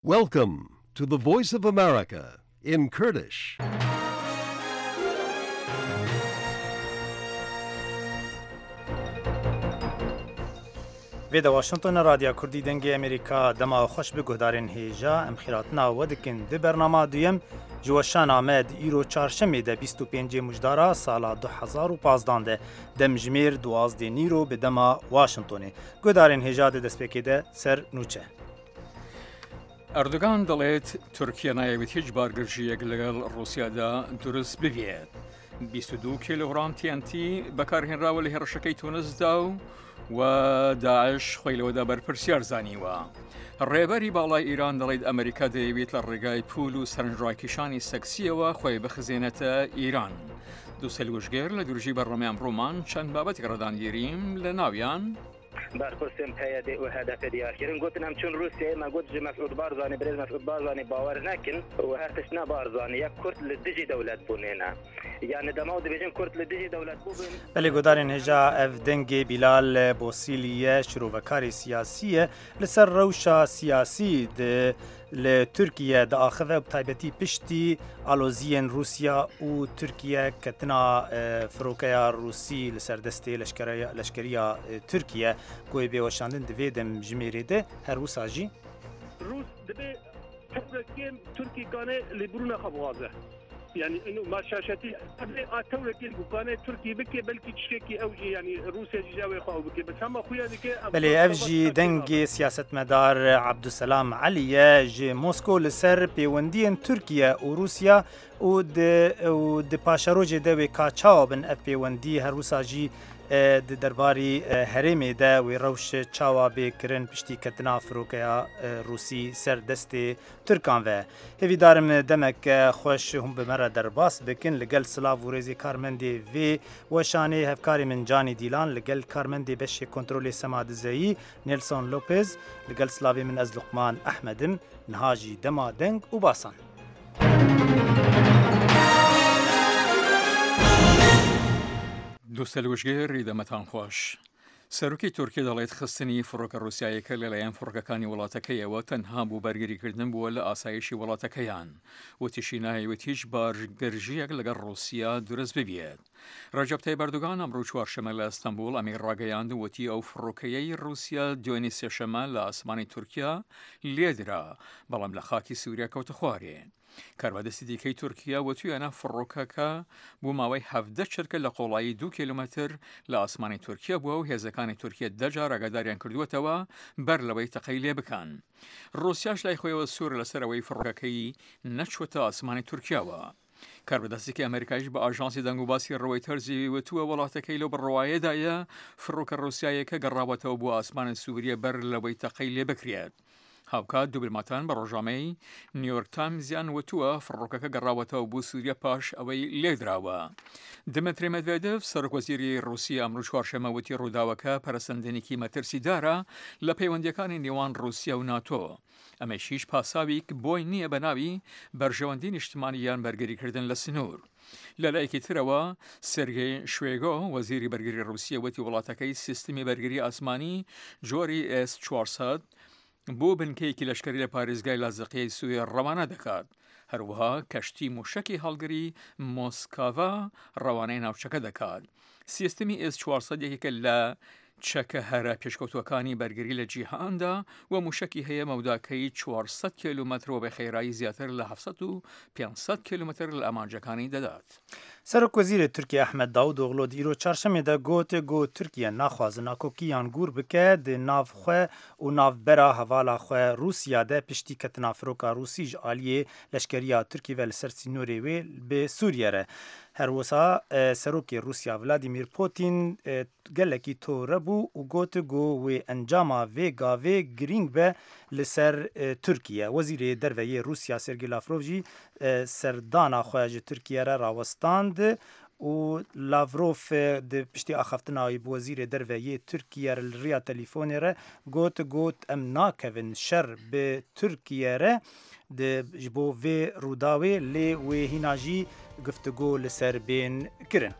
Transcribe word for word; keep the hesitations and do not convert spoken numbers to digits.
Welcome to the Voice of America in Kurdish. Vê de Washington e, Radya Kurdî Dengê Amerîka. Dema xweş bi guhdarên hêja, em xîratina we dikin di bernama duyem ji weşana me di îro çarşemê de bîst û pêncê Mujdara sala du hezar û pazdan de, demjimêr duwazdê nîro bi dema Washingtonê. Guhdarên hêja di destpêkê de ser nûçe. Erdogan دەڵێت تورکیا نایەوێت هیچ بارگرژیەک لەگەڵ ڕووسیادا دروست ببێت. بیست و دوو کیلوگرام T N T بەکارهێنراوە لە هێڕشەکەی تونسدا و و داعش خۆی لەوەدا بەرپرسیار زانیوە. ڕێبەری باڵای ئیران دەڵێت ئەمریکا دەیەوێت لە ڕێگای پول و سەرنجڕاکیشانی سەکسیەوە خۆی بخزێنێتە ئیران. دوو سەلوشگێر لە دروژی بەڕەمەیان ڕوومان چەند بابەتێک ڕەدان گیریم لە ناویان. بەرپرسێن پەیەدێ و هەدەفێ دیارکردن گوتن ئەم چون رووسیە ئێمە گوت ji Mesûd Barzanî, birêz Mesûd Barzanî bawer nekin û her tişt ne Barzanî ye, Kurd li dijî dewlet bûnê ne. Yani dema û dibêjin Kurd li dijî dewlet bûbin. Belê, guhdarên hêja, ev dengê Bilal Bosîlî ye, şirovekarê siyasî ye. Li ser rewşa siyasî di, li Tirkiye diaxive, bi taybetî piştî aloziyên Rûsya û Tirkiye ketina, e, firokeya Rûsî li ser destê leşkereya-, leşkeriya, e, Tirkiye, ku yê bê weşandin di vê demjimêrê de her wisa jî. Rûs dibê tewrekên Tirkî kane lêbûrûna xwe bixwaze. Yani ino ma şaşetî dibê a tewrekên ku kane Tirkî bike, belkî tiştekî ew jî, yani Rûsya jî ji ew ê xwe ew bike. Bes hema xuya dike ev Belê, ev jî dengê siyasetmedar Abdulselam Elî ye ji Mosko li ser pêwendiyên Tirkiye û Rûsya û di, û di paşerojê de wê ka çawa bin ev pêwendî, her wisa jî, e, di derbarî, e, herêmê de wê rewş çawa bê kirin piştî ketina firokeya, e, Rûsî ser destê Tirkan ve. Hêvîdarim demeke xweş hûn bi me re derbas bikin. Li gel silav û rêzê karmendê vê weşanê, hevkarê min Canî Dîlan, li gel karmendê beşê kontrolê Sema Dizeyî, Nelson Lopez, li gel silavê min ez Luqman Ehmed im. Niha jî dema deng û basan. دووسە لوژگەی ڕیدەمەتان خۆش. سەرۆکی تورکیا دەڵێت خستنی فڕۆکە ڕووسیایەکە لەلایەن فڕۆکەکانی وڵاتەکەیەوە تەنها بۆ بەرگریکردن بووە لە ئاسایشی وڵاتەکەیان. وتیشی نایەوێت هیچ بارگرژیەک لەگەڵ ڕووسیا دروست ببێت. ڕەجەب تەیب ئەردوگان ئەمڕوو چوارشەممە لە ئەستەنبوڵ ئەمەی ڕاگەیاند، وتی ئەو فڕۆکەیەی ڕووسیا دوێنی سێشەممە لە ئاسمانی تورکیا لێدرا، بەڵام لە خاکی سووریا کەوتە خوارێ. کاربەدەستی دیکەی تورکیا وتویانە فڕۆکەکە بۆ ماوەی حەڤدە چرکە لە قۆڵایی دوو کیلومەتر لە ئاسمانی تورکیا بووە و هێزەکانی تورکیا دە جار ئاگاداریان کردووەتەوە بەر لەوەی تەقەی لێ بکەن. ڕووسیاش لای خۆیەوە سوور لەسەر ئەوەی فڕۆکەکەی نەچووەتە ئاسمانی تورکیاوە. کاربەدەستێکی ئەمریکایش بە ئاژانسی دەنگ و باسی ڕوەیتەرزی وتووە وڵاتەکەی لەو بڕواایەدایە فڕۆکە ڕووسیایەکە گەڕاوەتەوە بۆ ئاسمانی سووریە بەر لەوەی تەقەی لێ بکرێت. هاوکات دوبلماتان بە ڕۆژامەی نیویۆرک تایمزیان وتووە فڕۆکەکە گەڕاوەتەوە بۆ سووریە پاش ئەوەی لێدراوە. دمتری مەدڤێدڤ، سەرۆک وەزیری ڕووسیا، ئەمڕوو چوارشەممە وتی ڕووداوەکە پەرەسەندنێکی مەترسیدارە لە پەیوەندیەکانی نێوان ڕووسیا و ناتۆ. ئەمەش هیچ پاساویک بۆی نییە بە ناوی بەرژەوەندی نیشتمانی یان بەرگریکردن لە سنوور. لە لایەکی ترەوە، سێرگێ شوێگۆ، وەزیری بەرگری ڕووسیە، وتی وڵاتەکەی سیستمی بەرگری ئاسمانی جۆری S چوار سەد بۆ بنکەیەکی لەشکری لە پارێزگای لازقیەی سووریا ڕەوانە دەکات. هەروەها کەشتی موشەکی هەڵگری مۆسکاڤا ڕەوانەی ناوچەکە دەکات. سیستمی S چوار سەد یەکێکە لە چەکە هەرە پێشکەوتوەکانی بەرگری لە جیهاندا و موشەکی هەیە مەوداکەی چوار سەد کیلومەتر و بە خێرایی زیاتر لە هەفت سەد و پێنج سەد کیلومەتر لە ئامانجەکانی دەدات. Serok Wezîrê Tirkiye Ehmed Davutoğlu di îro çarşemê de got, got Tirkiye naxwaze nakokî yan gûr bike di nav xwe û navbera hevala xwe Rûsya de piştî ketina firoka Rûsî ji aliyê leşkeriya Tirkî ve li ser sînorê wê bi Sûriye re. Her wisa, e, Serokê Rûsya Vladimir Putin, e, gelekî tore bû û got ku wê encama vê gavê girîng be li ser, e, Tirkiye. Wezîrê Derve yê Rûsya Sergey Lavrov jî, e, serdana xwe ji Tirkiye re rawestand û Lavrov, e, di piştî axaftina wî bi Wezîrê Derve yê Tirkiye re li riya telîfonê re got, got, em nakevin şer bi Tirkiye re di, ji bo vê rûdawê, lê wê hîna jî guftûgo li ser bên kirin.